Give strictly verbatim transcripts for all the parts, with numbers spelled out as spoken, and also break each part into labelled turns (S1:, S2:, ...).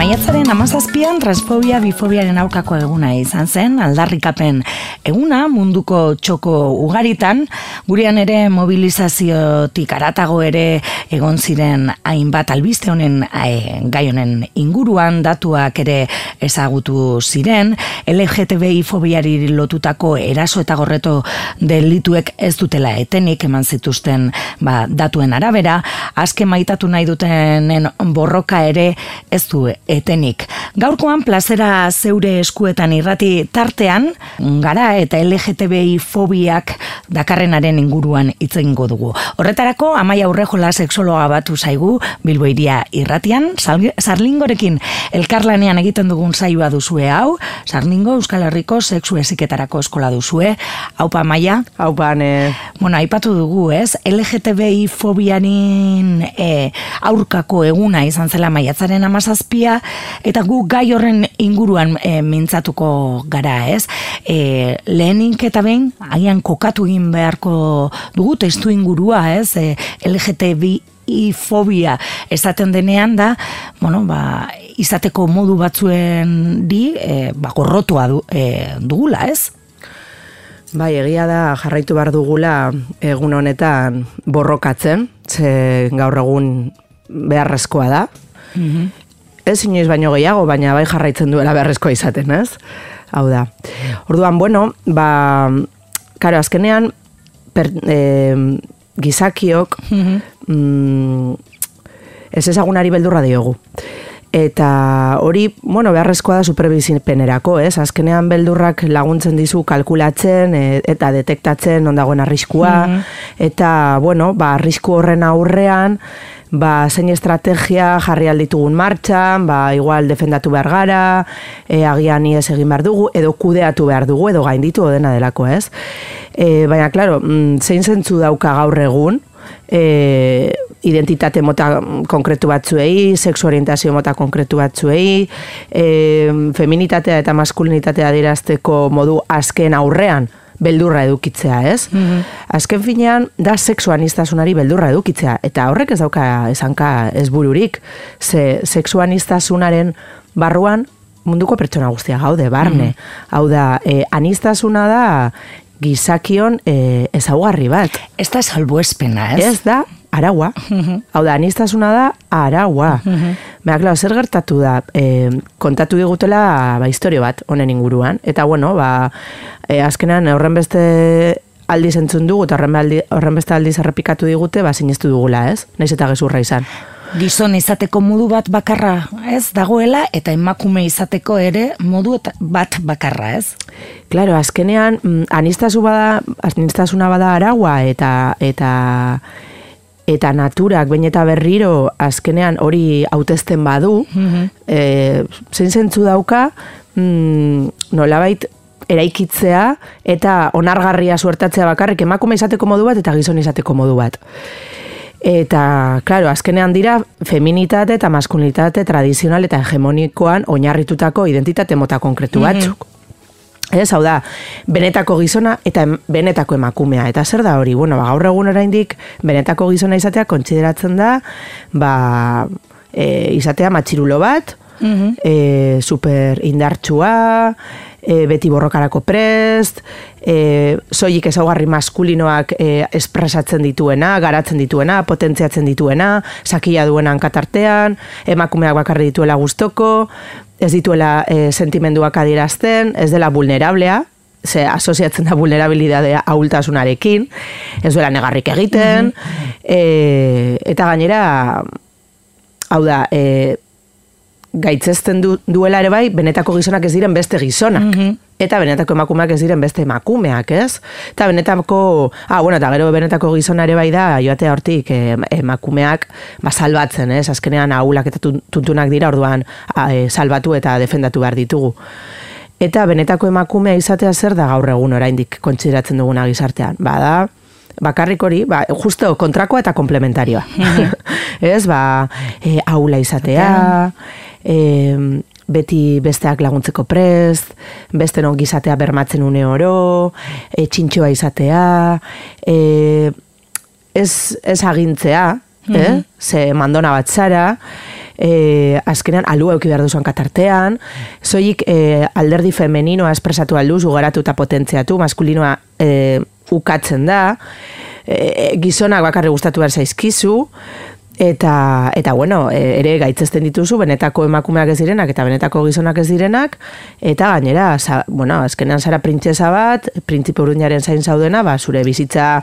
S1: Maiatzaren hamazazpian transfobia bifobiaren aurkako eguna izan zen, aldarrikapen eguna munduko txoko ugaritan, gurean ere mobilizaziotik aratago ere egon ziren hainbat albiste honen e, gai honen inguruan datuak ere ezagutu ziren, L G T B I fobiari lotutako eraso eta gorreto delituek ez dutela etenik eman zituzten ba, datuen arabera, azken maitatu nahi dutenen borroka ere ez du etenik. Gaurkoan plazera zeure eskuetan irrati tartean, gara eta L G T B I fobiak dakarrenaren inguruan hitz egingo dugu. Horretarako, Amaia Urrejola sexologa batu zaigu Bilbo Hiria irratian, Sarlingorekin elkarlanean egiten dugun saioa duzue hau, Sarlingo Euskal Herriko sexu heziketarako eskola duzue. Haupa Amaia?
S2: Haupa, ne.
S1: Bueno, aipatu dugu, ez? L G T B I fobianin e, aurkako eguna izan zela maiatzaren hamazazpia, eta gu gai horren inguruan e, mintzatuko gara, ez? E, lehenik eta behin, agian kokatu egin beharko dugu testu ingurua, ez? E, L G T B I fobia esaten denean da, bueno, ba, izateko modu batzuen di, e, ba, gorrotua du, e, dugula, ez?
S2: Bai, egia da jarraitu behar dugula egun honetan borrokatzen, ze gaur egun beharrezkoa da. Mm-hmm. Ez inoiz baino gehiago, baina bai jarraitzen duela beharrezkoa izaten, ez? Hau da. Orduan, bueno, ba, karo, azkenean, per, eh, gizakiok mm-hmm. mm, ez ezagunari beldurra diogu. Eta hori, bueno, beharrezkoa da superbizipenerako, ez? Azkenean beldurrak laguntzen dizu kalkulatzen e, eta detektatzen ondagoen arriskua, mm-hmm. eta, bueno, ba, arrisku horren aurrean, ba, zein estrategia jarri alditugun martxan, ba, igual defendatu behar gara, e, agian ies egin behar dugu, edo kudeatu behar dugu, edo gainditu dena delako, ez? E, baina, klaro, zein zentzu dauka gaur egun, e, identitate mota konkretu batzuei, sexu orientazio mota konkretu batzuei, e, feminitatea eta maskulinitatea adierazteko modu azken aurrean beldurra edukitzea, ez? Mm-hmm. Azken finean, da sexu aniztasunari beldurra edukitzea, eta horrek ez dauka esanka ez bururik, ze sexu aniztasunaren barruan munduko pertsona guztia gaude, barne. Mm-hmm. Hau da, e, aniztasuna da gizakion e, ezaugarri bat.
S1: Ez da salbuespena, ez?
S2: Ez da araua. Mm-hmm. Hau da, aniztasuna da araua. Mm-hmm. Baina, klar, zer gertatu da, e, kontatu digutela ba, historio bat honen inguruan. Eta, bueno, ba, e, azkenean horren beste aldiz entzun dugu, eta horren, aldi, horren beste aldiz errepikatu digute, ba, sinestu dugula, ez? Naiz eta gezurra izan.
S1: Gizon izateko modu bat bakarra, ez, dagoela, eta emakume izateko ere modu bat bakarra, ez?
S2: Claro, azkenean, anistasu bada, anistasuna bada araua, eta, eta, eta naturak, bain eta berriro, azkenean hori hautezten badu, mm-hmm. e, zein zentzu dauka, mm, nolabait, eraikitzea eta onargarria suertatzea bakarrik emakume izateko modu bat eta gizon izateko modu bat. Eta, klaro, azkenean dira feminitate eta maskulinitate tradizional eta hegemonikoan oinarritutako identitate mota konkretu batzuk. Mm-hmm. Ez, hau da, benetako gizona eta benetako emakumea. Eta zer da hori? Bueno, ba, gaur egun oraindik benetako gizona izatea kontsideratzen da, ba, e, izatea matxirulo bat, mm-hmm. e, super indartsua, E, beti borrokarako prest, e, soilik ezaugarri maskulinoak e, espresatzen dituena, garatzen dituena, potentziatzen dituena, sakila duena hankatartean, emakumeak bakarri dituela gustoko, ez dituela e, sentimenduak adierazten, ez dela vulnerablea, ze asoziatzen da vulnerabilidadea ahultasunarekin, ez duela negarrik egiten, mm-hmm. e, eta gainera, hau da, e, gaitzezten du, duela ere bai, benetako gizonak ez diren beste gizonak. Mm-hmm. Eta benetako emakumeak ez diren beste emakumeak, ez? Eta benetako, ah, bueno, eta gero benetako gizona ere bai da, joatea hortik eh, emakumeak ba, salbatzen, ez? Azkenean ahulak eta tuntunak dira, orduan ah, eh, salbatu eta defendatu behar ditugu. Eta benetako emakumea izatea zer da gaur egun oraindik kontsideratzen duguna gizartean? Bada, bakarrik hori, ba, justo kontrakoa eta komplementarioa. Mm-hmm. Ez, ba, eh, ahula izatea, E, beti besteak laguntzeko prest, beste non gizatea bermatzen une oro, e, txintxoa izatea, e, ez, ez agintzea, mm-hmm. eh? Ze mandona bat zara, e, azkenean alu euki behar duzuan katartean, zoik e, alderdi femeninoa espresatu alduz, ugaratu eta potentziatu, maskulinoa e, ukatzen da, e, gizonak bakarri gustatu behar zaizkizu, eta, eta bueno, ere gaitzezten dituzu, benetako emakumeak ez direnak, eta benetako gizonak ez direnak, eta gainera, za, bueno, azkenean zara printzesa bat, printzipe urruñaren zain zaudena, ba, zure bizitza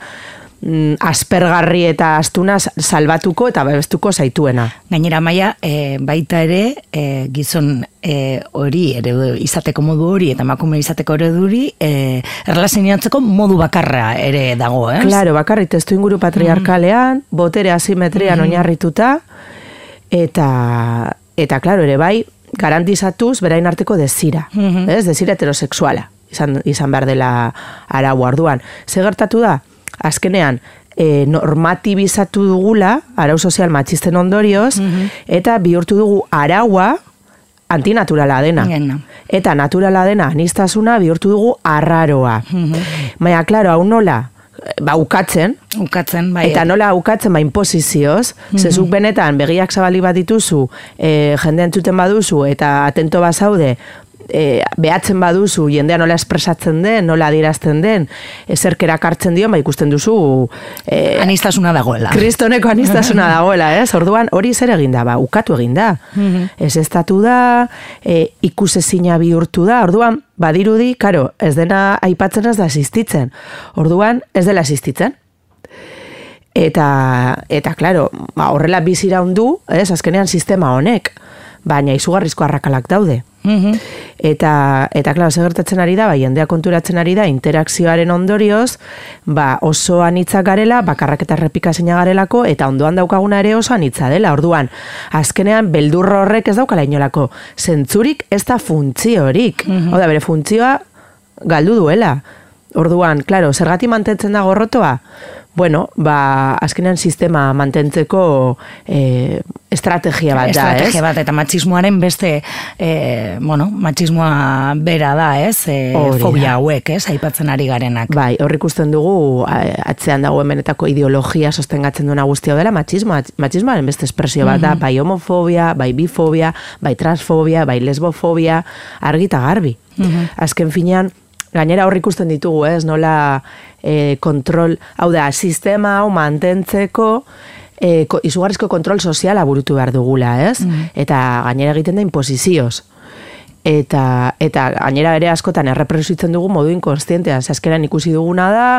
S2: aspergarri eta astuna salbatuko eta babestuko zaituena.
S1: Gainera, Maia, e, baita ere, e, gizon e, hori, ere izateko modu hori eta emakume izateko ereduri, e, erlazionatzeko modu bakarra ere dago, ez?
S2: Claro, bakarri testu inguru patriarkalean, mm-hmm. botere asimetrian mm-hmm. oinarrituta, eta, eta, claro, ere bai, garantizatuz berain arteko desira, mm-hmm. ez? Desira heterosexuala, izan, izan behar dela arau orduan. Ze gertatu da? Azkenean, e, normatibizatu dugula, arau sozial matxisten ondorioz, mm-hmm. eta bihurtu dugu araua antinaturala dena.
S1: Gena.
S2: Eta naturala dena anistasuna bihurtu dugu arraroa. Mm-hmm. Baina, klaro, hau nola, ba, ukatzen,
S1: ukatzen bai.
S2: Eta nola ukatzen, ba, imposizioz, mm-hmm. zezuk benetan, begiak zabali bat dituzu, e, jende entzuten baduzu, eta atento bazaude, E, behatzen baduzu, jendea nola espresatzen den, nola adierazten den, ezerkera kartzen dio, ba ikusten duzu
S1: e, anistasuna dagoela.
S2: Kristoneko anistasuna dagoela, ez? Orduan hori zer egin da, ba, ukatu egin da. Mm-hmm. Ez estatu da, e, ikusezina bihurtu da, orduan, badirudi, karo, ez dena aipatzen ez da asistitzen. Orduan, ez dela asistitzen. Eta, eta klaro, ba, horrela bizira hundu, ez, azkenean sistema honek, baina izugarrizko arrakalak daude. Mm-hmm. Eta, eta klaro, segertatzen ari da, ba, jendea konturatzen ari da, interakzioaren ondorioz, ba, oso anitzak garela, bakarrak eta errepikazina garelako, eta ondoan daukaguna ere oso anitza dela. Orduan, azkenean, beldurro horrek ez daukala inolako zentzurik, ez da funtziorik. Mm-hmm. Hau da, bere funtzioa galdu duela. Orduan, klaro, zergati mantentzen da gorrotoa? Bueno, ba, azkenean sistema mantentzeko e, estrategia bat da, ez?
S1: Estrategia bat, eta matxismoaren beste, e, bueno, matxismoa bera da, ez? E, fobia hauek, ez? Aipatzen ari garenak.
S2: Bai, hor ikusten dugu, atzean dago benetako ideologia sostengatzen duena guztia dela, matxismoa, matxismoaren beste espresio bat da, mm-hmm. bai homofobia, bai bifobia, bai transfobia, bai lesbofobia, argi eta garbi. Mm-hmm. Azken finean, gainera hor ikusten ditugu, ez, nola e, kontrol, hau da, sistema hau mantentzeko e, ko, izugarrizko kontrol soziala burutu behar dugula, ez? Mm. Eta gainera egiten da imposizioz. Eta, eta gainera ere askotan errepresitzen dugu modu inkonstientean, azkenan ikusi duguna da,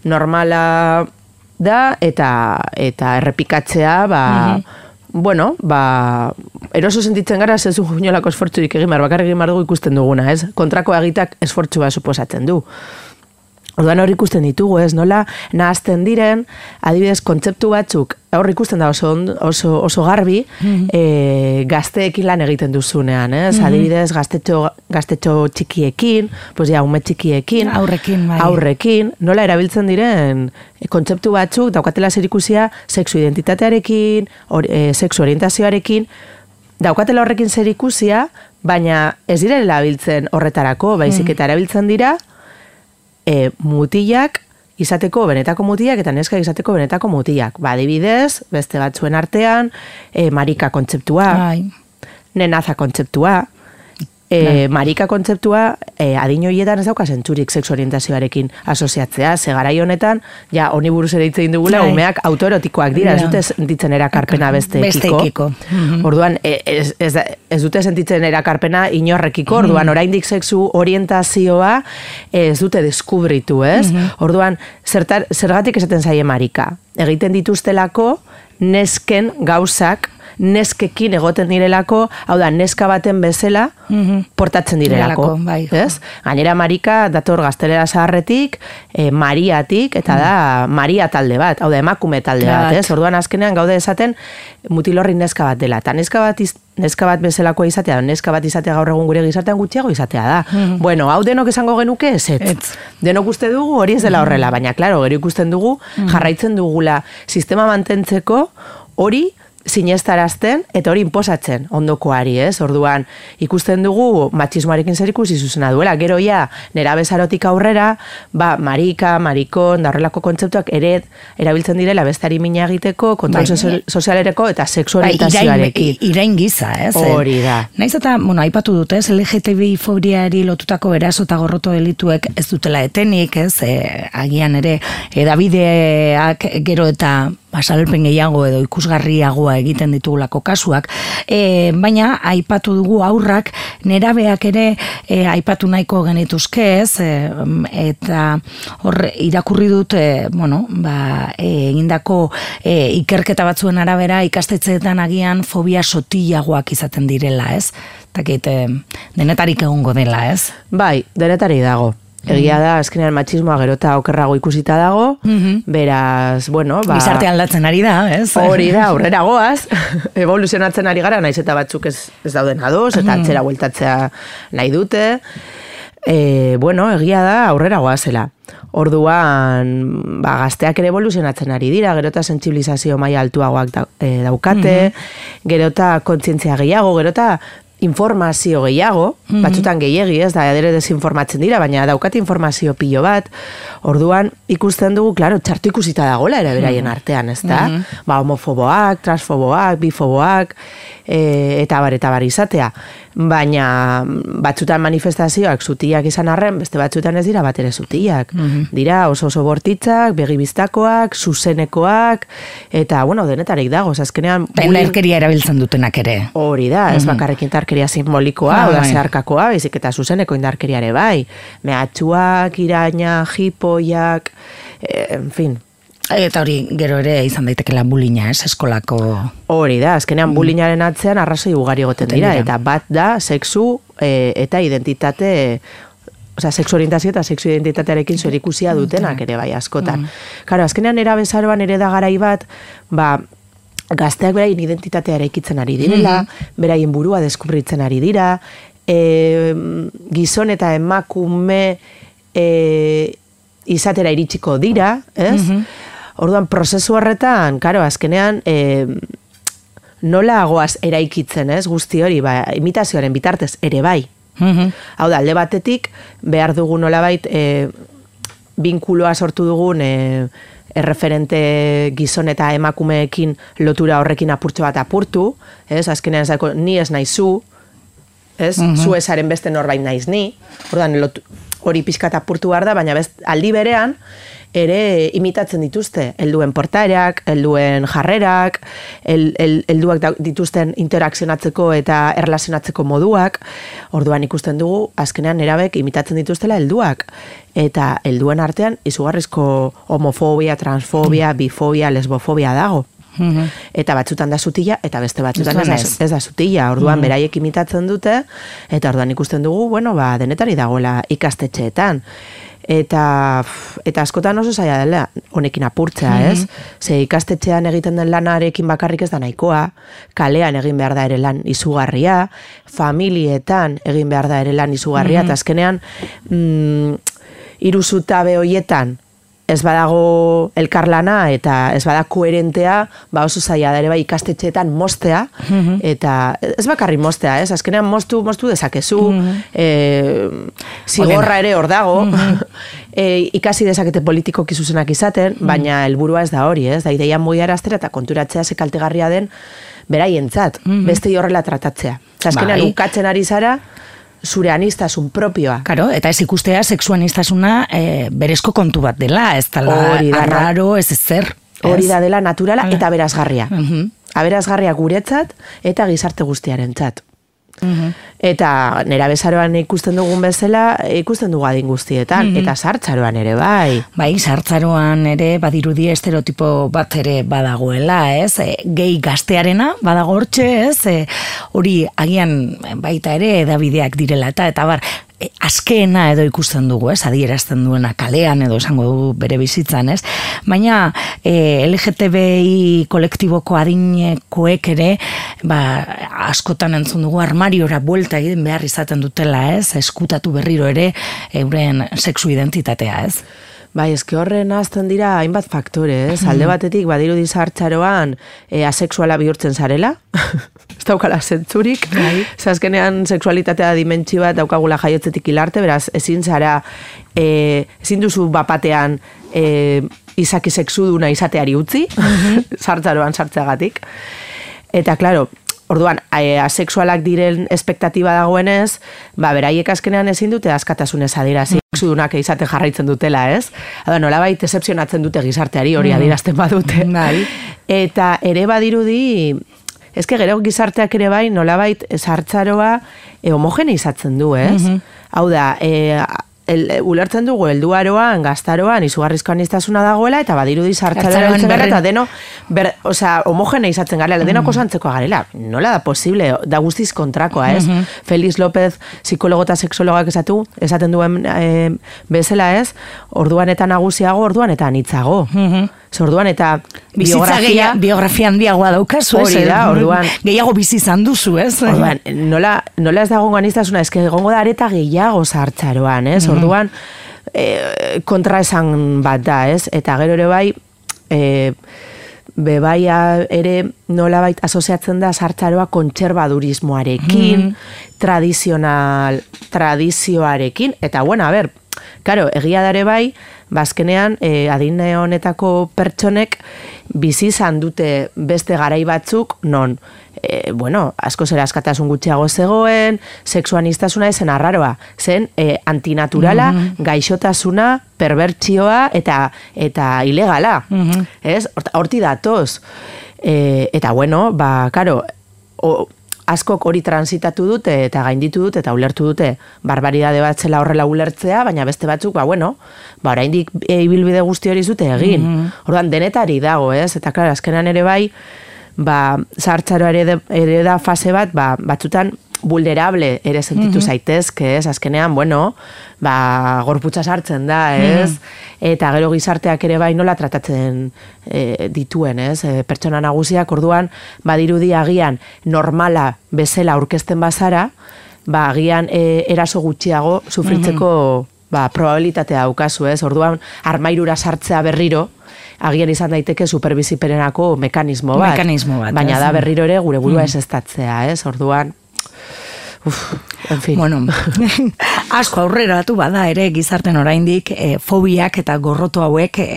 S2: normala da, eta, eta errepikatzea, ba, mm-hmm. bueno, ba, eroso sentitzen gara zezu inolako esfortzurik egin behar, bakar egin behar dugu ikusten duguna, ez? Kontrako egitak esfortzua suposatzen du. Orduan hor ikusten ditugu, ez? Nola nahazten diren, adibidez, kontzeptu batzuk, hor ikusten da oso, oso, oso garbi, mm-hmm. e, gazteekin lan egiten duzunean, ez? Mm-hmm. Adibidez, gaztetxo, gaztetxo txikiekin, pues ja, ume txikiekin,
S1: aurrekin, bai.
S2: aurrekin, nola erabiltzen diren kontzeptu batzuk, daukatela zerikusia, sexu identitatearekin, or, e, sexu orientazioarekin, daukatela horrekin zerikusia, baina ez dira erabiltzen horretarako, baizik eta erabiltzen dira, E, mutilak izateko benetako mutilak eta neska izateko benetako mutilak. Ba, adibidez, beste batzuen artean, e, marika kontzeptua, Ai. nenaza kontzeptua, e, marika kontzeptua e, adin horietan ez dauka zentzurik sexu orientazioarekin asoziatzea, ze garai honetan, ja, honi buruz ere hitz egin dugula, Ai. umeak autoerotikoak dira, ez dute sentitzen erakarpena beste ekiko.
S1: Beste ekiko. Mm-hmm.
S2: Orduan, ez, ez, ez dute sentitzen erakarpena inorrekiko, orduan, mm-hmm. oraindik sexu orientazioa ez dute deskubritu, ez? Mm-hmm. Orduan, zertar, zergatik esaten zaie marika. Egiten dituztelako, nesken gauzak, neskekin egoten direlako, hau da, neska baten bezala mm-hmm. portatzen direlako.
S1: Direlako, bai.
S2: Ez? Gainera marika dator gaztelera zaharretik, e, mariatik, eta mm. da maria talde bat, hau da, emakume talde bat, ez? Orduan azkenean gaude esaten mutilorri neska bat dela. Eta neska bat, iz, neska bat bezalakoa izatea, neska bat izatea gaur egun gure gizartean gutxiago izatea da. Mm-hmm. Bueno, hau denok esango genuke ez, ez. Denok uste dugu hori ez dela horrela, baina, klaro, gero ikusten dugu, mm-hmm. jarraitzen dugula sistema mantentzeko hori sinestarazten eta hori inposatzen ondokoari, ez? Orduan, ikusten dugu matxismoarekin zer ikusi zuzena duela. Gero ja, nerabezarotik aurrera, ba, marika, marikon, da horrelako kontzeptuak ere erabiltzen direla bestari mina egiteko, kontrol bai, sozialereko eta sexu orientazioarekin.
S1: Bai, irain giza, ez?
S2: Hori da.
S1: Naiz eta, bueno, aipatu dut, ez? L G T B I fobiari lotutako eraso eta gorroto delituek ez dutela etenik, ez? E, agian ere, edabideak gero eta basalpen gehiago edo ikusgarriagoa egiten ditugulako kasuak, e, baina aipatu dugu aurrak nerabeak ere e, aipatu nahiko genituzke, ez, e, eta hor irakurri dut, e, bueno, ba, e, egindako e, ikerketa batzuen arabera ikastetxeetan agian fobia sotilagoak izaten direla, ez? Takit, e, denetarik egongo dela, ez?
S2: Bai, denetarik dago. Egia da, azkenean matxismoa gerota okerrago ikusita dago, mm-hmm. beraz, bueno, ba...
S1: Gizarte aldatzen ari da, ez?
S2: Hori da, aurrera goaz, evoluzionatzen ari gara, naiz eta batzuk ez, ez dauden ados, eta mm-hmm. atzera bueltatzea nahi dute. E, bueno, egia da, aurrera goazela. Orduan, ba, gazteak ere evoluzionatzen ari dira, gerota sentsibilizazio maila altuagoak da, e, daukate, mm-hmm. gerota kontzientzia gehiago, gerota... informazio gehiago, mm-hmm. batzutan gehiegi, ez da, adere desinformatzen dira, baina daukate informazio pilo bat, orduan ikusten dugu, klaro, txartu ikusita dagoela ere beraien mm-hmm. artean, ez da? Mm-hmm. Ba, homofoboak, transfoboak, bifoboak, e, eta bar, eta bar izatea. Baina batzutan manifestazioak zutiak izan arren, beste batzutan ez dira bat ere zutiak. Mm-hmm. Dira oso oso bortitzak, begibiztakoak, zuzenekoak, eta, bueno, denetarek dago, azkenean...
S1: Indarkeria erabiltzen dutenak ere.
S2: Hori da, ez mm-hmm. bakarrik indarkeria simbolikoa, ah, oda bai. Zeharkakoa, baizik eta zuzeneko indarkeriare bai. Mehatxuak, iraina, jipoiak, eh, en fin...
S1: Eta hori gero ere izan daitekela bullyinga, ez, eskolako...
S2: Hori da, azkenean bullyingaren atzean arrazoi ugari egoten dira, eta bat da sexu e, eta identitate, osea, sexu orientazio eta sexu identitatearekin zerikusia dutenak ere bai askotan. Karo, azkenean erabezaroan ere da garai bat, ba, gazteak beraien identitatea eraikitzen ari direla, beraien burua deskubritzen ari dira, e, gizon eta emakume e, izatera iritsiko dira, ez? Orduan, prozesu horretan, karo, azkenean, e, nola goaz eraikitzen, ez, guzti hori, ba, imitazioaren bitartez ere bai. Mm-hmm. Hau da, alde batetik, behar dugu nolabait, e, binkuloa sortu dugun, e, erreferente gizon eta emakumeekin lotura horrekin apurtxo bat apurtu, ez, azkenean ezako, ni ez naizu, ez, mm-hmm. zu ezaren beste norbait naiz ni, orduan, lotu, hori pixkat apurtu behar da, baina best, aldi berean, ere imitatzen dituzte, helduen portaerak, helduen jarrerak, el, el, helduak dituzten interakzionatzeko eta erlazionatzeko moduak, orduan ikusten dugu, azkenean nerabek imitatzen dituztela helduak, eta helduen artean izugarrizko homofobia, transfobia, bifobia, lesbofobia dago. Mm-hmm. Eta batzutan da zutila, eta beste batzutan ez, ez, ez da zutila, orduan mm-hmm. beraiek imitatzen dute, eta orduan ikusten dugu, bueno, ba, denetari dagoela ikastetxeetan. Eta, eta askotan oso zaila dela honekin apurtzea, mm-hmm. ez? Ze ikastetxean egiten den lanarekin bakarrik ez da nahikoa, kalean egin behar da ere lan izugarria, familietan egin behar da ere lan izugarria, mm-hmm. eta azkenean mm, hiru zutabe hoietan ez badago elkarlana eta ez bada koherentea, ba oso zaila da ere bai ikastetxeetan mostea, mm-hmm. eta ez bakarri mostea, ez? Azkenean mostu, mostu dezakezu, mm-hmm. e, zigorra ere hor dago, mm-hmm. e, ikasi dezakete politikoki zuzenak izaten, mm-hmm. baina helburua ez da hori, ez? Da ideia mugiaraztera eta konturatzea ze kaltegarria den beraientzat, mm-hmm. beste horrela tratatzea. Azkenean bai. Ukatzen ari zara, zure anistasun propioa.
S1: Karo, eta ez ikustea sexu anistasuna e, berezko kontu bat dela, ez dela arraro, ez ezer.
S2: Hori da dela naturala eta aberasgarria. Uh-huh. Aberasgarria guretzat eta gizarte guztiarentzat. Uh-huh. Eta nerabezaroan ikusten dugun bezala, ikusten dugu adin guztietan, uh-huh. eta sartzaroan ere bai.
S1: Bai, sartzaroan ere badirudi estereotipo bat ere badagoela, ez? E, gehi gaztearena badago hortxe, ez? E, hori agian baita ere edabideak direla, eta eta bar, e, azkeena edo ikusten dugu, ez? Adierazten duena kalean edo esango du bere bizitzan, ez? Baina e, L G T B I kolektiboko adinekoek ere, ba, askotan entzun dugu armariora buelta egin behar izaten dutela, ez? Eskutatu berriro ere euren sexu identitatea, ez?
S2: Bai, eske horren azten dira hainbat faktore, ez? Alde batetik, badirudi zahartzaroan e, asexuala bihurtzen zarela, ez daukala zentzurik, zazkenean sexualitatea dimentsio bat daukagula jaiotzetik hilarte, beraz, ezin zara, e, ezin duzu bapatean e, izaki sexuduna izateari utzi, zahartzaroan sartzeagatik. Eta, klaro, orduan, asexualak diren espektatiba dagoenez, ba, beraiek azkenean ezin dute askatasunez adirazi, sexudunak izate jarraitzen dutela, ez? Hada, nolabait excepzionatzen dute gizarteari hori adierazten badute. Eta ere badirudi, ezke gero gizarteak ere bai, nolabait zahartzaroa e, homogeneizatzen du, ez? Hau da, e, El, ulertzen dugu, helduaroan, gaztaroan, izugarrizko aniztasuna dagoela, eta badirudi zahartzaroa ditzen gara, eta deno, ber, osea, homogene izatzen garela, mm. denok osantzeko garela. Nola da posible, da guztiz kontrakoa, ez? Mm-hmm. Felix López, psikologo eta sexologak esatu, esaten duen e, bezala, ez? Orduan eta nagusiago, orduan eta anitzago. Mm-hmm. Orduan eta biografia...
S1: biografia handiagoa daukazu, ez?
S2: Hori da, orduan...
S1: Gehiago bizi izan duzu, ez?
S2: Orduan, nola, nola ez dago aniztasuna, ez que egongo da areta gehiago zahartzaroan, ez? Orduan, e, kontra esan bat da, ez? Eta gero ere bai, e, bebaia ere nolabait asoziatzen da zahartzaroa kontserbadurismoarekin, mm. tradizional, tradizioarekin, eta bueno, a ber, karo, egia dare bai, bazkenean, e, adine honetako pertsonek bizi izan dute beste garai batzuk, non, e, bueno, asko zera askatasun gutxiago zegoen, sexuanistasuna ezen arraroa, zen e, antinaturala, mm-hmm. gaixotasuna, perbertsioa eta eta ilegala, mm-hmm. ez? Horti datoz. E, eta bueno, ba, karo, o, askok hori transitatu dute eta gainditu dute eta ulertu dute barbaridade bat zela horrela ulertzea, baina beste batzuk, ba, bueno, ba, oraindik e, ibilbide guzti hori zute egin. Mm-hmm. Orduan, denetari dago, ez? Eta, klar, azkenan ere bai, ba, zahartzaro ere, ere da fase bat, ba, batzutan vulnerable ere sentitu mm-hmm. zaitezke, ez? Azkenean, bueno, ba, gorputza sartzen da, ez? Mm-hmm. Eta gero gizarteak ere bai nola tratatzen e, dituen, ez? E, pertsona nagusiak, orduan, badirudi agian normala bezala aurkezten bazara, ba, agian e, eraso gutxiago sufritzeko mm-hmm. ba, probabilitatea daukazu, ez? Orduan, armairura sartzea berriro, agian izan daiteke superbiziperenako mekanismo bat.
S1: Mekanismo bat.
S2: Baina ez? Da berriro ere gure burua mm. ez estatzea, ez? Orduan, uf, en fin.
S1: Bueno, asko aurreratu bada ere gizarten oraindik e, fobiak eta gorroto hauek e,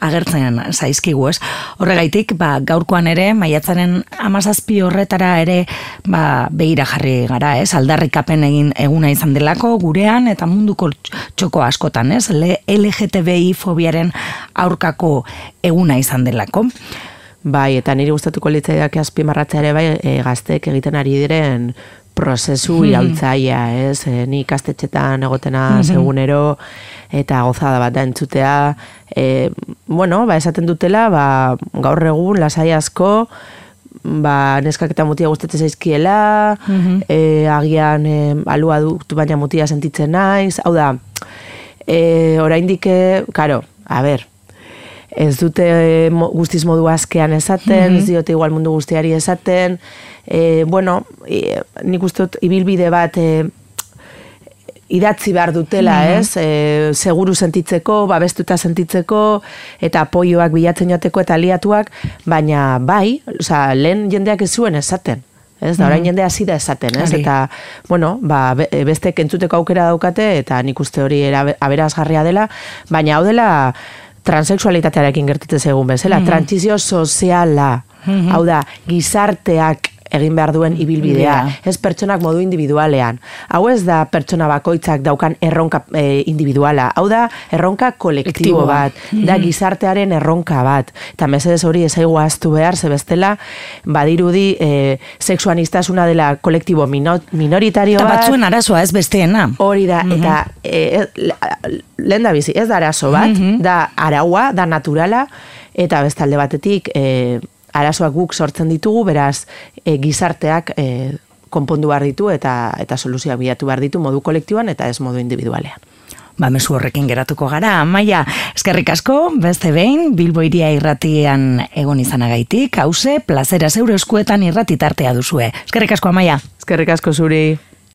S1: agertzen zaizkigu, ez? Horregaitik, ba, gaurkoan ere, maiatzaren hamazazpi horretara ere, ba, begira jarri gara, ez? Aldarrikapen egin eguna izan delako gurean eta munduko txoko askotan, ez? L G T B I fobiaren aurkako eguna izan delako.
S2: Bai, eta niri gustatuko litzaidak azpimarratzea ere bai, e, gaztek egiten ari diren prozesu hmm. iraultzaia, ez? E, ni ikastetxetan egotena hmm. segunero eta gozada bat da entzutea. E, bueno, ba, esaten dutela, ba, gaur egun lasai asko, ba, neskak eta mutia gustatzen zaizkiela, hmm. e, agian e, alua dut baina mutia sentitzen naiz, hau da, e, oraindik, karo, a ber, ez dute guztiz modu askean esaten, mm-hmm. ez diote igual mundu guztiari esaten, e, bueno, e, nik uste dut ibilbide bat e, idatzi behar dutela, mm-hmm. ez? E, seguru sentitzeko, babestuta sentitzeko, eta apoioak bilatzen jateko eta aliatuak, baina bai, oza, lehen jendeak ez zuen esaten. Ez, da, orain mm. jende hasi da esaten, ez? Ari. Eta, bueno, ba, beste kentzuteko aukera daukate, eta nik uste hori aberazgarria dela, baina hau dela transexualitatearekin gertatzen zegoen bezala, mm-hmm. trantsizio soziala, mm-hmm. hau da, gizarteak egin behar duen ibilbidea, yeah. ez pertsonak modu individualean. Hau ez da pertsona bakoitzak daukan erronka e, individuala, hau da erronka kolektibo bat, mm-hmm. da gizartearen erronka bat. Eta mesedez hori ezaigu ahaztu behar, ze bestela, badirudi e, sexuanistasuna dela kolektibo mino, minoritario bat.
S1: Eta batzuen arazoa ez besteena.
S2: Hori da, mm-hmm. eta e, lehen da bizi, ez da arazo bat, mm-hmm. da araua, da naturala, eta bestalde batetik, e, arazoak guk sortzen ditugu, beraz e, gizarteak e, konpondu behar ditu eta eta soluzioak bilatu behar ditu modu kolektiboan eta ez modu individualean.
S1: Ba, mezu horrekin geratuko gara. Amaia, eskerrik asko, beste behin, Bilbo Hiria irratian egon izanagaitik, hauze, plazera zeure eskuetan irratitartea duzue. Eskerrik asko, Amaia.
S2: Eskerrik asko zuri.